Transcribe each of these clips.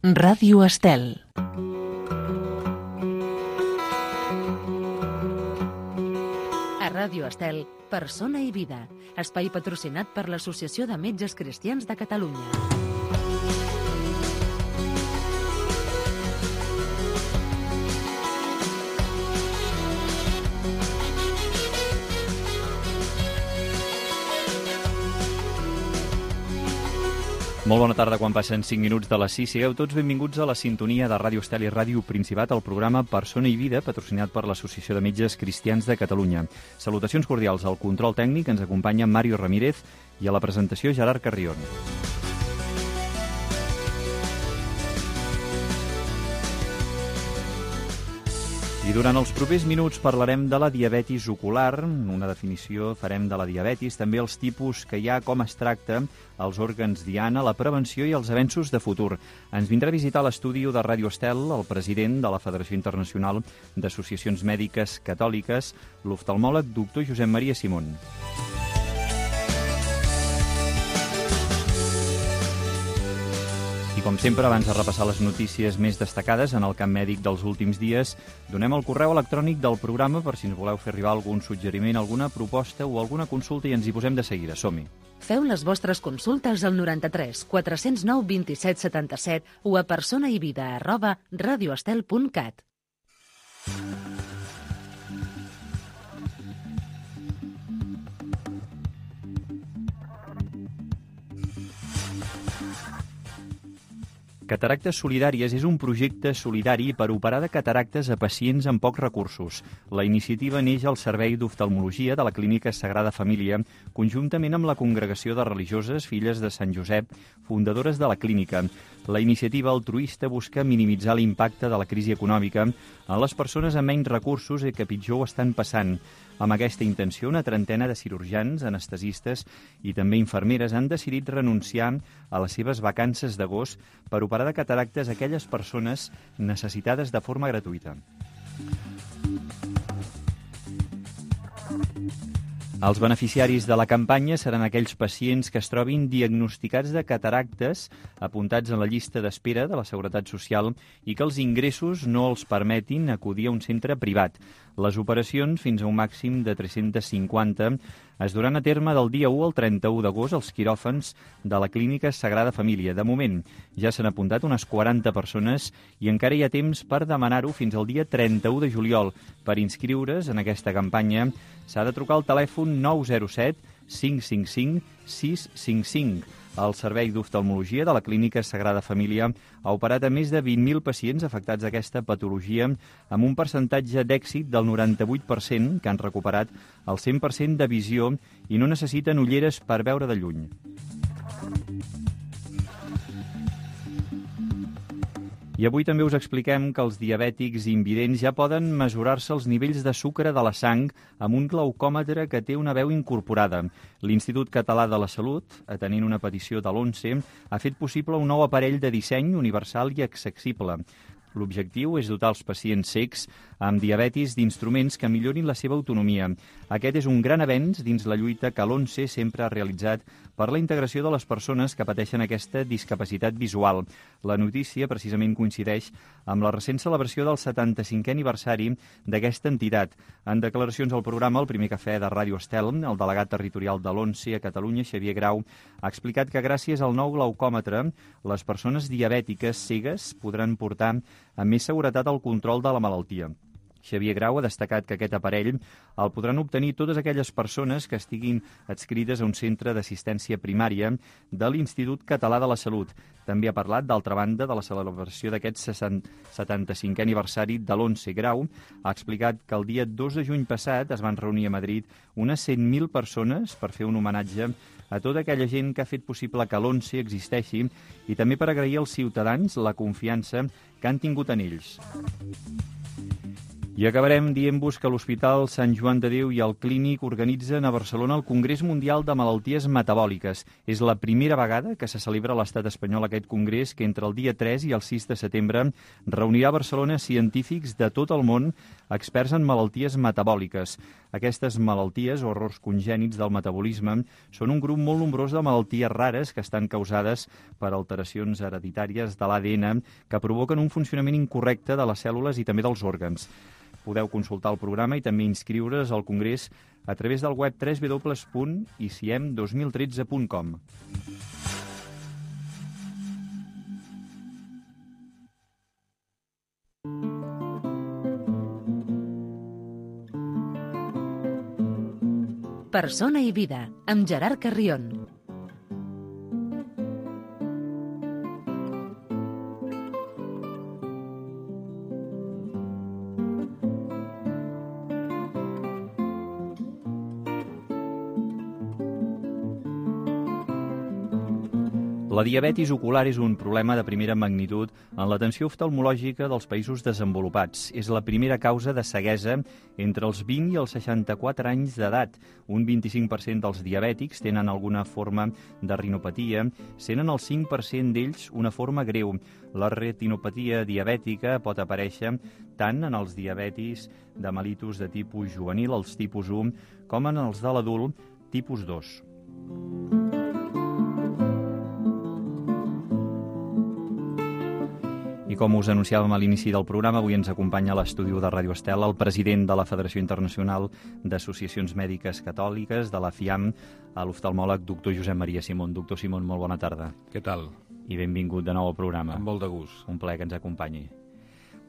Ràdio Estel. A Ràdio Estel, Persona i Vida, espai patrocinat per l'Associació de Metges Cristians de Catalunya. Molt bona tarda, quan passen 5 minuts de les 6. Sigueu tots benvinguts a la sintonia de Ràdio Estel i Ràdio Principat, al programa Persona i Vida, patrocinat per l'Associació de Metges Cristians de Catalunya. Salutacions cordials al control tècnic, ens acompanya Mario Ramírez, i a la presentació Gerard Carrion. I durant els propers minuts parlarem de la diabetis ocular, una definició farem de la diabetis, també els tipus que hi ha, com es tracta, els òrgans diana, la prevenció i els avenços de futur. Ens vindrà a visitar l'estudi de Ràdio Estel el president de la Federació Internacional d'Associacions Mèdiques Catòliques, l'oftalmòleg doctor Josep Maria Simón. I com sempre, abans de repassar les notícies més destacades en el camp mèdic dels últims dies, donem el correu electrònic del programa per si ens voleu fer arribar algun suggeriment, alguna proposta o alguna consulta, i ens hi posem de seguida. Som-hi. Feu les vostres consultes al 93 409 27 77 o a personaivida@radioestel.cat. Cataractes Solidàries és un projecte solidari per operar de cataractes a pacients amb pocs recursos. La iniciativa neix al Servei d'Oftalmologia de la Clínica Sagrada Família, conjuntament amb la Congregació de Religioses Filles de Sant Josep, fundadores de la clínica. La iniciativa altruista busca minimitzar l'impacte de la crisi econòmica en les persones amb menys recursos i que pitjor ho estan passant. Amb aquesta intenció, una trentena de cirurgians, anestesistes i també infermeres han decidit renunciar a les seves vacances d'agost per operar de cataractes a aquelles persones necessitades de forma gratuïta. Els beneficiaris de la campanya seran aquells pacients que es trobin diagnosticats de cataractes, apuntats en la llista d'espera de la Seguretat Social i que els ingressos no els permetin acudir a un centre privat. Les operacions, fins a un màxim de 350, es duran a terme del dia 1 al 31 d'agost als quiròfans de la Clínica Sagrada Família. De moment, ja s'han apuntat unes 40 persones i encara hi ha temps per demanar-ho fins al dia 31 de juliol. Per inscriure's en aquesta campanya s'ha de trucar al telèfon 907 555 655. El Servei d'Oftalmologia de la Clínica Sagrada Família ha operat a més de 20.000 pacients afectats d'aquesta patologia amb un percentatge d'èxit del 98%, que han recuperat el 100% de visió i no necessiten ulleres per veure de lluny. I avui també us expliquem que els diabètics invidents ja poden mesurar-se els nivells de sucre de la sang amb un glaucòmetre que té una veu incorporada. L'Institut Català de la Salut, atenent una petició de l'ONCE, ha fet possible un nou aparell de disseny universal i accessible. L'objectiu és dotar els pacients cecs amb diabetis d'instruments que millorin la seva autonomia. Aquest és un gran avenç dins la lluita que l'ONCE sempre ha realitzat per la integració de les persones que pateixen aquesta discapacitat visual. La notícia precisament coincideix amb la recent celebració del 75è aniversari d'aquesta entitat. En declaracions al programa El Primer Cafè de Ràdio Estel, el delegat territorial de l'ONCE a Catalunya, Xavier Grau, ha explicat que gràcies al nou glaucòmetre, les persones diabètiques cegues podran portar amb més seguretat el control de la malaltia. Xavier Grau ha destacat que aquest aparell el podran obtenir totes aquelles persones que estiguin adscrites a un centre d'assistència primària de l'Institut Català de la Salut. També ha parlat, d'altra banda, de la celebració d'aquest 75è aniversari de l'ONCE. Grau ha explicat que el dia 2 de juny passat es van reunir a Madrid unes 100.000 persones per fer un homenatge a tota aquella gent que ha fet possible que l'ONCE existeixi i també per agrair als ciutadans la confiança que han tingut en ells. I acabarem dient-vos que l'Hospital Sant Joan de Déu i el Clínic organitzen a Barcelona el Congrés Mundial de Malalties Metabòliques. És la primera vegada que se celebra a l'estat espanyol aquest congrés, que entre el dia 3 i el 6 de setembre reunirà a Barcelona científics de tot el món, experts en malalties metabòliques. Aquestes malalties o errors congènits del metabolisme són un grup molt nombrós de malalties rares que estan causades per alteracions hereditàries de l'ADN que provoquen un funcionament incorrecte de les cèl·lules i també dels òrgans. Podeu consultar el programa i també inscriure's al Congrés a través del web www.iciem2013.com. Persona i vida, amb Gerard Carrión. La diabetis ocular és un problema de primera magnitud en l'atenció oftalmològica dels països desenvolupats. És la primera causa de ceguesa entre els 20 i els 64 anys d'edat. Un 25% dels diabètics tenen alguna forma de retinopatia, sent el 5% d'ells una forma greu. La retinopatia diabètica pot aparèixer tant en els diabetis de mellitus de tipus juvenil, els tipus 1, com en els de l'adult tipus 2. I com us anunciàvem a l'inici del programa, avui ens acompanya a l'estudi de Ràdio Estel el president de la Federació Internacional d'Associacions Mèdiques Catòliques, de la FIAM, l'oftalmòleg doctor Josep Maria Simón. Doctor Simón, molt bona tarda. Què tal? I benvingut de nou al programa. Amb molt de gust. Un plaer que ens acompanyi.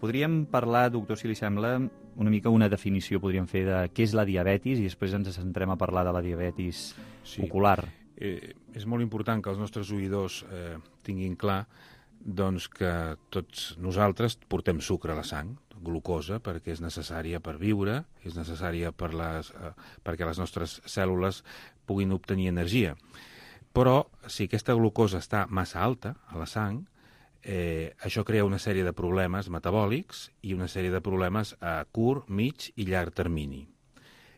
Podríem parlar, doctor, si li sembla, una mica una definició, podríem fer de què és la diabetis i després ens centrem a parlar de la diabetis ocular. És molt important que els nostres oïdors tinguin clar doncs que tots nosaltres portem sucre a la sang, glucosa, perquè és necessària per viure, és necessària perquè les nostres cèl·lules puguin obtenir energia. Però si aquesta glucosa està massa alta a la sang, això crea una sèrie de problemes metabòlics i una sèrie de problemes a curt, mig i llarg termini.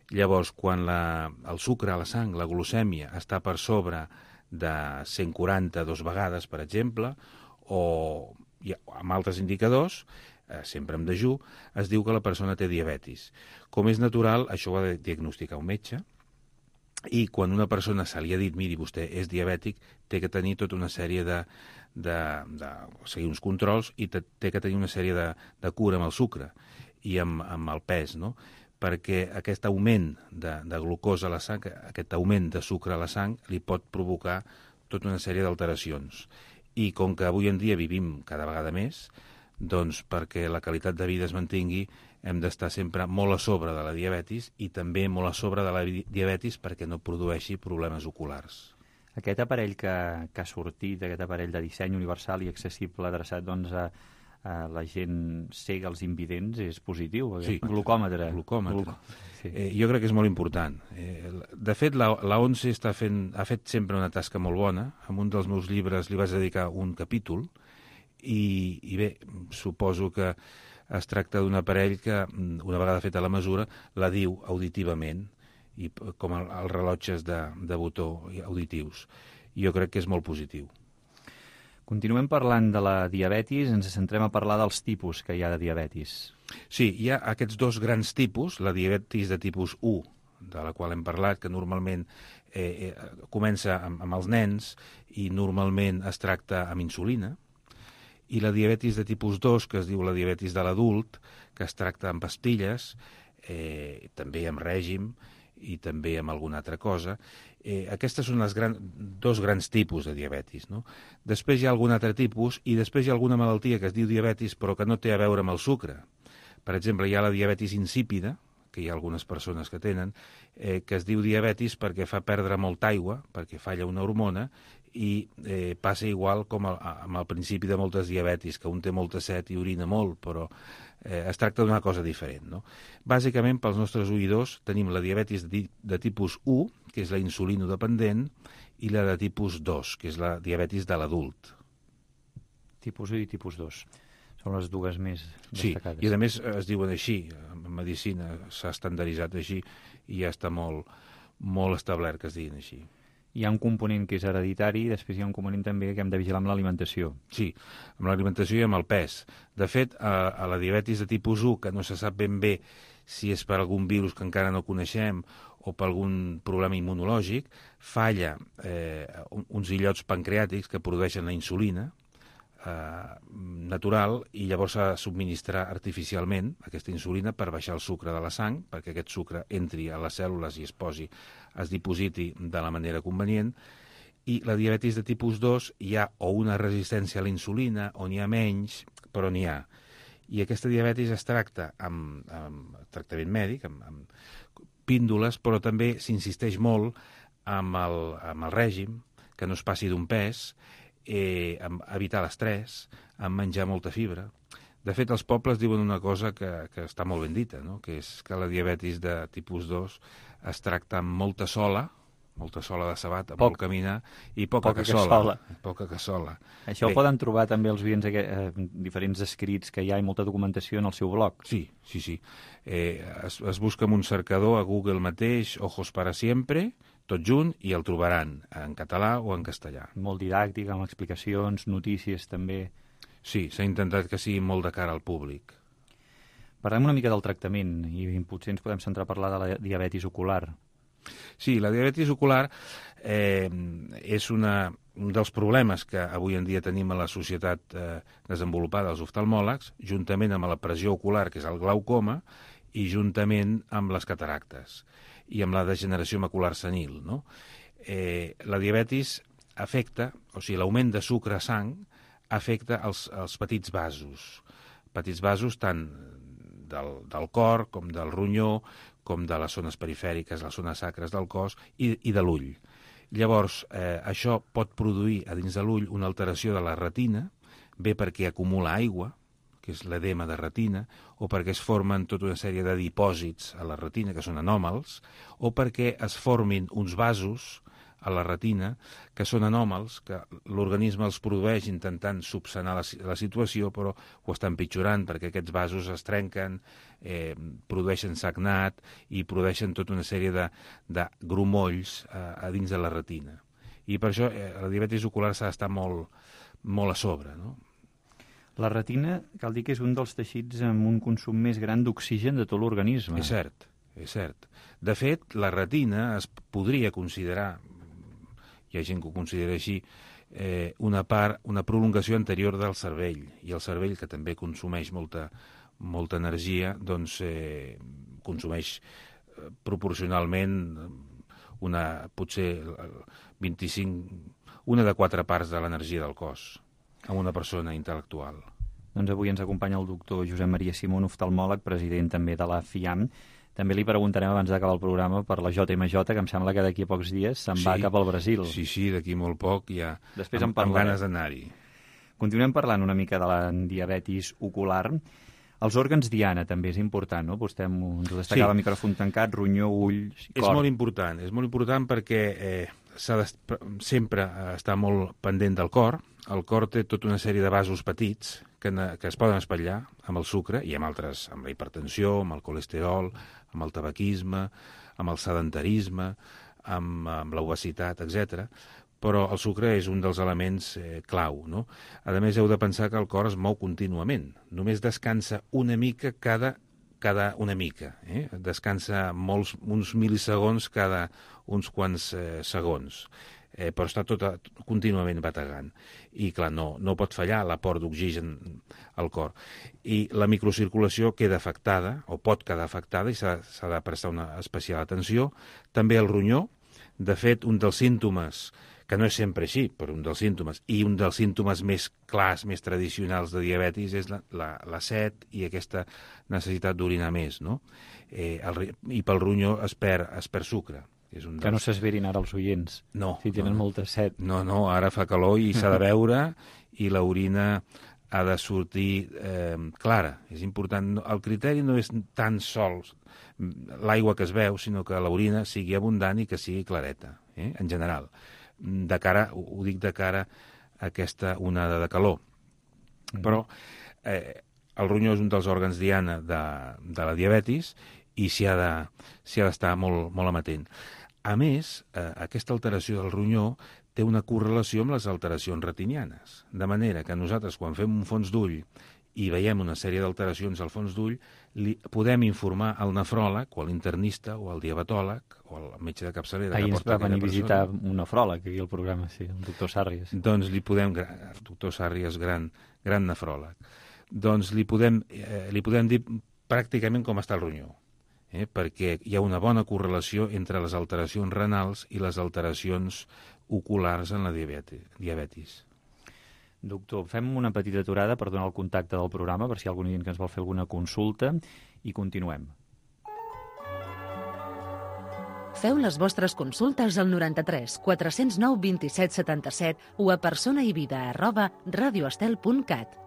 Llavors, quan el sucre a la sang, la glucèmia, està per sobre de 140 2 vegades, per exemple, o amb altres indicadors, sempre amb dejú, es diu que la persona té diabetis. Com és natural, això ho ha de diagnosticar un metge, i quan una persona se li ha dit, miri, vostè és diabètic, té que tenir tota una sèrie de seguir uns controls i té que tenir una sèrie de cura amb el sucre i amb el pes, no? Perquè aquest augment de glucosa a la sang, aquest augment de sucre a la sang, li pot provocar tota una sèrie d'alteracions. I com que avui en dia vivim cada vegada més, doncs perquè la qualitat de vida es mantingui, hem d'estar sempre molt a sobre de la diabetis i també molt a sobre de la diabetis perquè no produeixi problemes oculars. Aquest aparell que ha sortit, aquest aparell de disseny universal i accessible adreçat doncs, a la gent cega, els invidents, és positiu? Sí. Glucòmetre. Sí. Jo crec que és molt important. De fet, la ONCE ha fet sempre una tasca molt bona. En un dels meus llibres li vaig dedicar un capítol i bé, suposo que es tracta d'un aparell que, una vegada feta la mesura, la diu auditivament, i com els rellotges de botó auditius. Jo crec que és molt positiu. Continuem parlant de la diabetis, ens centrem a parlar dels tipus que hi ha de diabetis. Sí, hi ha aquests dos grans tipus, la diabetis de tipus 1, de la qual hem parlat, que normalment comença amb els nens i normalment es tracta amb insulina, i la diabetis de tipus 2, que es diu la diabetis de l'adult, que es tracta amb pastilles, també amb règim i també amb alguna altra cosa. Aquestes són dos grans tipus de diabetis, no? Després hi ha algun altre tipus i després hi ha alguna malaltia que es diu diabetis però que no té a veure amb el sucre. Per exemple, hi ha la diabetis insípida, que hi ha algunes persones que tenen, que es diu diabetis perquè fa perdre molta aigua, perquè falla una hormona, i passa igual com amb el principi de moltes diabetis, que un té molta set i orina molt, però es tracta d'una cosa diferent, no? Bàsicament, pels nostres oïdors, tenim la diabetis de tipus 1, que és la insulinodependent, i la de tipus 2, que és la diabetis de l'adult. Tipus 1 i tipus 2. Són les dues més destacades. Sí, i a més es diuen així, en medicina s'ha estandarditzat així i ja està molt establert que es diguin així. Hi ha un component que és hereditari i després hi ha un component també que hem de vigilar amb l'alimentació. Sí, amb l'alimentació i amb el pes. De fet, a la diabetis de tipus 1, que no se sap ben bé si és per algun virus que encara no coneixem o per algun problema immunològic, falla uns illots pancreàtics que produeixen la insulina natural i llavors s'ha de subministrar artificialment aquesta insulina per baixar el sucre de la sang, perquè aquest sucre entri a les cèl·lules i es dipositi de la manera convenient. I la diabetis de tipus 2 hi ha o una resistència a la insulina o n'hi ha menys, però n'hi ha. I aquesta diabetis es tracta amb tractament mèdic, amb píndoles, però també s'insisteix molt amb el règim, que no es passi d'un pes, amb evitar l'estrès, amb menjar molta fibra. De fet, els pobles diuen una cosa que està molt ben dita, no? Que és que la diabetis de tipus 2 es tracta amb molta sola de sabata, molt caminar, i poca cassola. Poca cassola. Això ho poden trobar també els oients diferents escrits que hi ha i molta documentació en el seu blog. Sí. Es busca amb un cercador a Google mateix, Ojos para siempre, tot junt, i el trobaran en català o en castellà. Molt didàctic, amb explicacions, notícies també. Sí, s'ha intentat que sigui molt de cara al públic. Parlem una mica del tractament i potser ens podem centrar a parlar de la diabetis ocular. Sí, la diabetis ocular és un dels problemes que avui en dia tenim a la societat desenvolupada, els oftalmòlegs, juntament amb la pressió ocular, que és el glaucoma, i juntament amb les cataractes i amb la degeneració macular senil, no? La diabetis afecta, o sigui, l'augment de sucre a sang afecta els petits vasos tant del cor com del ronyó, com de les zones perifèriques, les zones sacres del cos i de l'ull. Llavors, això pot produir a dins de l'ull una alteració de la retina, bé perquè acumula aigua, que és l'edema de retina, o perquè es formen tota una sèrie de dipòsits a la retina, que són anòmals, o perquè es formin uns vasos a la retina que són anòmals, que l'organisme els produeix intentant subsanar la situació, però ho està empitjorant perquè aquests vasos es trenquen, produeixen sagnat i produeixen tota una sèrie de grumolls a dins de la retina. I per això la diabetis ocular s'ha d'estar molt a sobre, no? La retina, cal dir que és un dels teixits amb un consum més gran d'oxigen de tot l'organisme. És cert. De fet, la retina es podria considerar, hi ha gent que ho considera així, una prolongació anterior del cervell. I el cervell, que també consumeix molta energia, doncs consumeix proporcionalment potser 1 de 4 parts de l'energia del cos a una persona intel·lectual. Doncs avui ens acompanya el doctor Josep Maria Simón, oftalmòleg, president també de la FIAM. També li preguntarem abans d'acabar el programa per la JMJ, que em sembla que d'aquí a pocs dies se'n va cap al Brasil. Sí, d'aquí molt poc ja després amb ganes d'anar-hi. Continuem parlant una mica de la diabetis ocular. Els òrgans diana també és important, no? Vostè ens ho destacava, micròfon tancat, ronyó, ulls, cor. És molt important perquè s'ha de sempre estar molt pendent del cor. El cor té tota una sèrie de vasos petits que es poden espatllar amb el sucre i amb altres, amb la hipertensió, amb el colesterol, amb el tabaquisme, amb el sedentarisme, amb l'obesitat, etc. Però el sucre és un dels elements clau, no? A més, heu de pensar que el cor es mou contínuament. Només descansa una mica cada una mica. Descansa uns milisegons cada uns quants segons. Però està contínuament bategant. I, clar, no pot fallar l'aport d'oxigen al cor. I la microcirculació queda afectada, o pot quedar afectada, i s'ha de prestar una especial atenció. També el ronyó. De fet, un dels símptomes, que no és sempre així, però un dels símptomes, i un dels símptomes més clars, més tradicionals de diabetis, és la set i aquesta necessitat d'orinar més, no? I pel ronyó es perd sucre. Que no s'esverin ara els oients, si tenen molta set. No, ara fa calor i s'ha de beure i l'orina ha de sortir clara. És important. El criteri no és tan sols l'aigua que es veu, sinó que l'orina sigui abundant i que sigui clareta, en general. Ho dic de cara a aquesta onada de calor. Però el ronyó és un dels òrgans diana de la diabetis i s'hi ha d'estar molt, molt amatent. A més, aquesta alteració del ronyó té una correlació amb les alteracions retinianes, de manera que nosaltres, quan fem un fons d'ull i veiem una sèrie d'alteracions al fons d'ull, podem informar al nefròleg o a l'internista o al diabetòleg o al metge de capçalera. Ahir ens va venir a visitar un nefròleg aquí al programa, sí, el doctor Sàrries. Doncs doctor Sàrries, gran nefròleg, doncs li podem dir pràcticament com està el ronyó, perquè hi ha una bona correlació entre les alteracions renals i les alteracions oculars en la diabetis. Doctor, fem una petita aturada per donar el contacte del programa, per si hi ha algun que ens vol fer alguna consulta, i continuem. Feu les vostres consultes al 93 409 27 77 o a personaivida@radioestel.cat.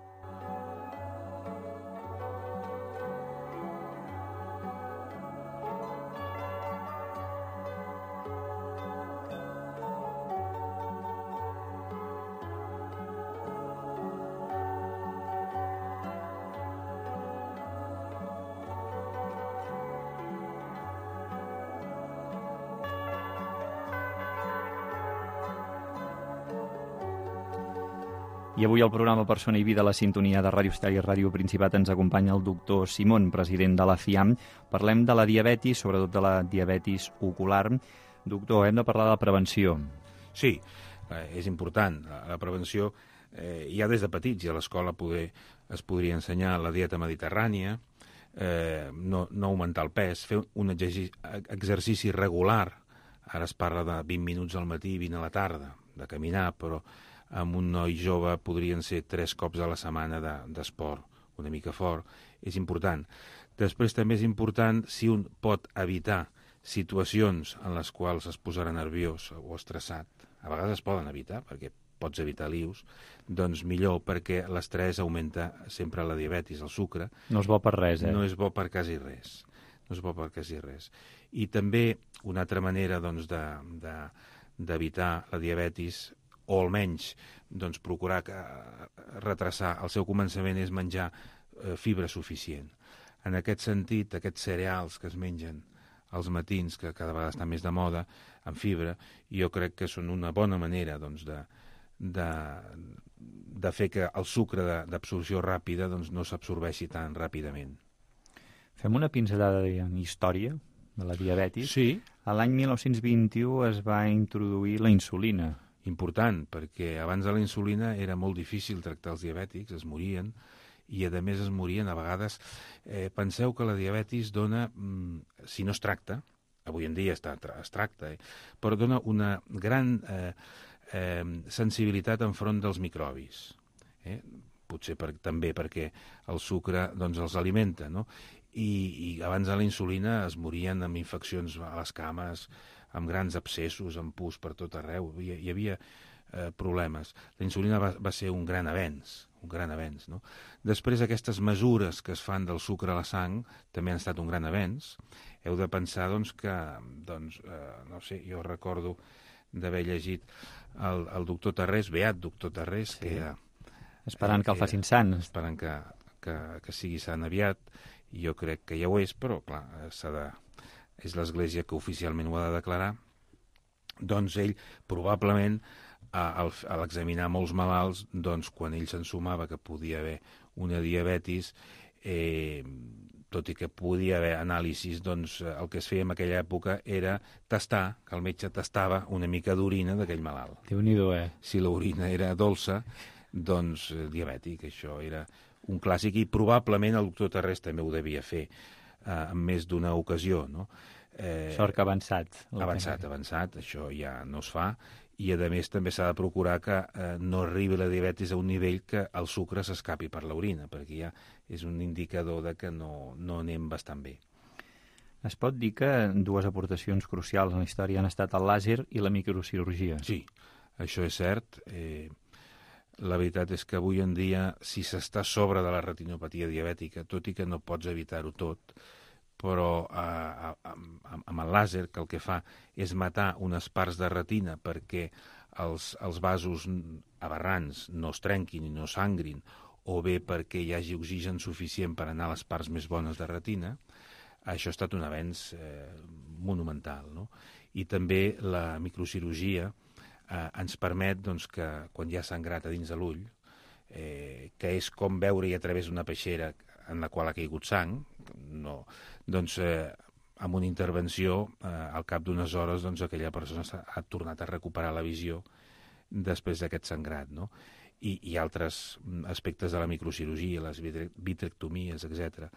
I avui al programa Persona i Vida, la sintonia de Ràdio Estel i Ràdio Principat, ens acompanya el doctor Simón, president de la FIAM. Parlem de la diabetis, sobretot de la diabetis ocular. Doctor, hem de parlar de prevenció. Sí, és important. La prevenció ja des de petits, i a l'escola es podria ensenyar la dieta mediterrània, no augmentar el pes, fer un exercici regular. Ara es parla de 20 minuts al matí i 20 a la tarda, de caminar, però amb un noi jove podrien ser 3 cops a la setmana d'esport, una mica fort. És important. Després també és important si un pot evitar situacions en les quals es posarà nerviós o estressat. A vegades es poden evitar, perquè pots evitar lius, doncs millor, perquè l'estrès augmenta sempre la diabetis, el sucre. No és bo per res, No és bo per quasi res. I també una altra manera doncs, d'evitar la diabetis, o almenys doncs, procurar retrasar el seu començament, és menjar fibra suficient. En aquest sentit, aquests cereals que es mengen als matins, que cada vegada estan més de moda, amb fibra, jo crec que són una bona manera doncs, de fer que el sucre d'absorció ràpida doncs, no s'absorbeixi tan ràpidament. Fem una pinzellada en història de la diabetis. Sí. A l'any 1921 es va introduir la insulina. Important, perquè abans de la insulina era molt difícil tractar els diabètics, es morien, i a més es morien a vegades. Penseu que la diabetis dona, si no es tracta, avui en dia es tracta, però dona una gran sensibilitat enfront dels microbis. Potser també perquè el sucre doncs, els alimenta, no? I abans de la insulina es morien amb infeccions a les cames, amb grans abscessos, amb pus per tot arreu. Hi havia problemes. La insulina va ser un gran avenç, no? Després, aquestes mesures que es fan del sucre a la sang també han estat un gran avenç. Heu de pensar doncs, que, no sé, jo recordo d'haver llegit el doctor Tarrés, beat doctor Tarrés, sí. Que era... Esperant que el facin sant. Esperant que sigui sant aviat, i jo crec que ja ho és, però, clar, és l'Església que oficialment ho ha de declarar. Doncs ell, probablement, a l'examinar molts malalts, doncs, quan ell s'ensumava que podia haver una diabetis, tot i que podia haver anàlisis, doncs el que es feia en aquella època era tastar, que el metge tastava una mica d'orina d'aquell malalt. Déu-n'hi-do, Si l'orina era dolça, doncs diabètic. Això era un clàssic, i probablement el doctor Tarrés també ho devia fer en més d'una ocasió, no? Sort que avançat. Avançat, això ja no es fa, i a més també s'ha de procurar que no arribi la diabetis a un nivell que el sucre s'escapi per l'orina, perquè ja és un indicador de que no anem bastant bé. Es pot dir que dues aportacions crucials en la història han estat el làser i la microcirurgia. Sí, això és cert. La veritat és que avui en dia, si s'està sobre de la retinopatia diabètica, tot i que no pots evitar-ho tot, però amb el làser, que el que fa és matar unes parts de retina perquè els vasos aberrants no es trenquin i no sangrin, o bé perquè hi hagi oxigen suficient per anar a les parts més bones de retina. Això ha estat un avenç monumental, no? I també la microcirurgia ens permet doncs, que quan hi ha sangrat a dins de l'ull, que és com veure-hi a través d'una peixera en la qual ha caigut sang, no, doncs amb una intervenció, al cap d'unes hores doncs, aquella persona ha tornat a recuperar la visió després d'aquest sangrat, no? I altres aspectes de la microcirurgia, les vitrectomies, etc.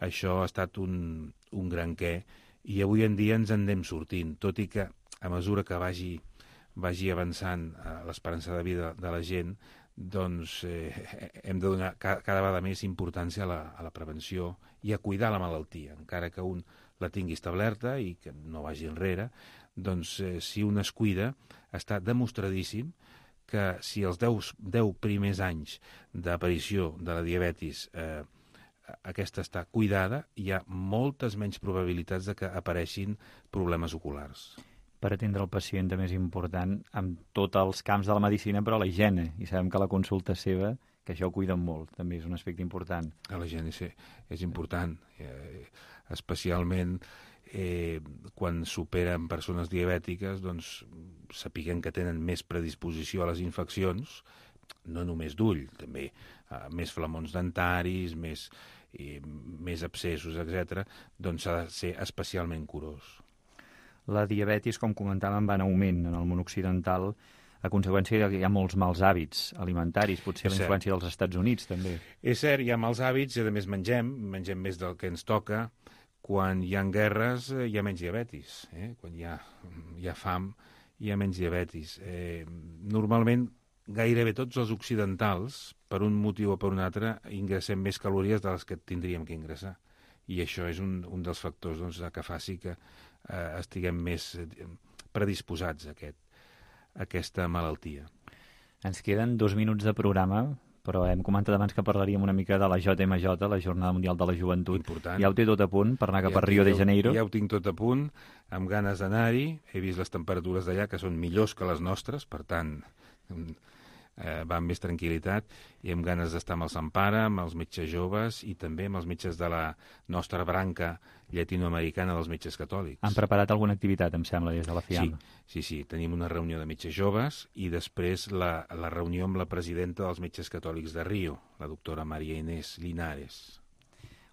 Això ha estat un gran què, i avui en dia ens en anem sortint, tot i que a mesura que vagi avançant l'esperança de vida de la gent, doncs hem de donar cada vegada més importància a la prevenció i a cuidar la malaltia, encara que un la tingui establerta i que no vagi enrere, doncs si un es cuida, està demostradíssim que si els 10 primers anys d'aparició de la diabetis aquesta està cuidada, hi ha moltes menys probabilitats de que apareixin problemes oculars. Per atendre el pacient també és important en tots els camps de la medicina, però la higiene, i sabem que la consulta seva, que això ho cuiden molt, també és un aspecte important. La higiene és important, especialment quan superen persones diabètiques, doncs sapiguem que tenen més predisposició a les infeccions, no només d'ull, també més flamons dentaris, més abscessos, etc., doncs s'ha de ser especialment curós. La diabetis, com comentàvem, va en augment en el món occidental a conseqüència que hi ha molts mals hàbits alimentaris, potser la influència dels Estats Units, també. És cert, hi ha mals hàbits i a més mengem més del que ens toca. Quan hi ha guerres hi ha menys diabetis, quan hi ha fam hi ha menys diabetis. Normalment gairebé tots els occidentals, per un motiu o per un altre, ingressem més calories de les que tindríem que ingressar. I això és un dels factors doncs, que faci que estiguem més predisposats a aquesta malaltia. Ens queden 2 minuts de programa, però hem comentat abans que parlaríem una mica de la JMJ, la Jornada Mundial de la Joventut. Important. Ja ho té tot a punt per anar cap a Rio de Janeiro? Ja ho tinc tot a punt, amb ganes d'anar-hi. He vist les temperatures d'allà, que són millors que les nostres, per tant va amb més tranquil·litat, i amb ganes d'estar amb el Sant Pare, amb els metges joves i també amb els metges de la nostra branca llatinoamericana dels metges catòlics. Han preparat alguna activitat, em sembla, des de la FIAM? Sí. Tenim una reunió de metges joves i després la reunió amb la presidenta dels metges catòlics de Rio, la doctora Maria Inés Linares.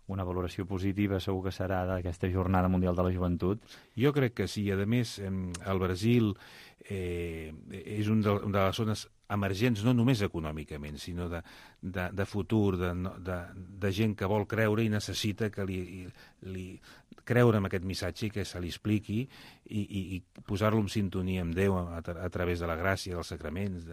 Una valoració positiva segur que serà d'aquesta Jornada Mundial de la Joventut. Jo crec que sí. A més, el Brasil és una de les zones emergents, no només econòmicament, sinó de futur, de gent que vol creure i necessita que li creure en aquest missatge i que se li expliqui i posar-lo en sintonia amb Déu a través de la gràcia, dels sacraments,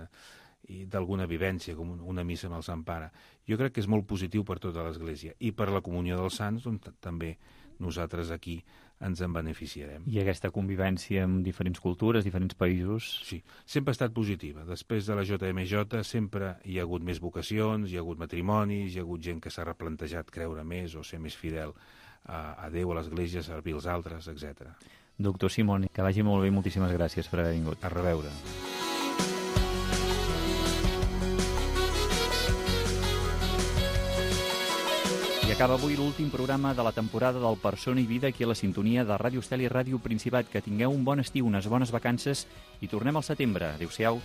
i d'alguna vivència, com una missa amb el Sant Pare. Jo crec que és molt positiu per tota l'Església i per la comunió dels sants, on també nosaltres aquí ens en beneficiarem. I aquesta convivència amb diferents cultures, diferents països... Sí, sempre ha estat positiva. Després de la JMJ sempre hi ha hagut més vocacions, hi ha hagut matrimonis, hi ha hagut gent que s'ha replantejat creure més o ser més fidel a Déu, a l'Església, servir els altres, etc. Doctor Simón, que vagi molt bé, moltíssimes gràcies per haver vingut. A reveure. I acaba avui l'últim programa de la temporada del Persona i Vida aquí a la sintonia de Ràdio Estel i Ràdio Principat. Que tingueu un bon estiu, unes bones vacances i tornem al setembre. Adéu-siau.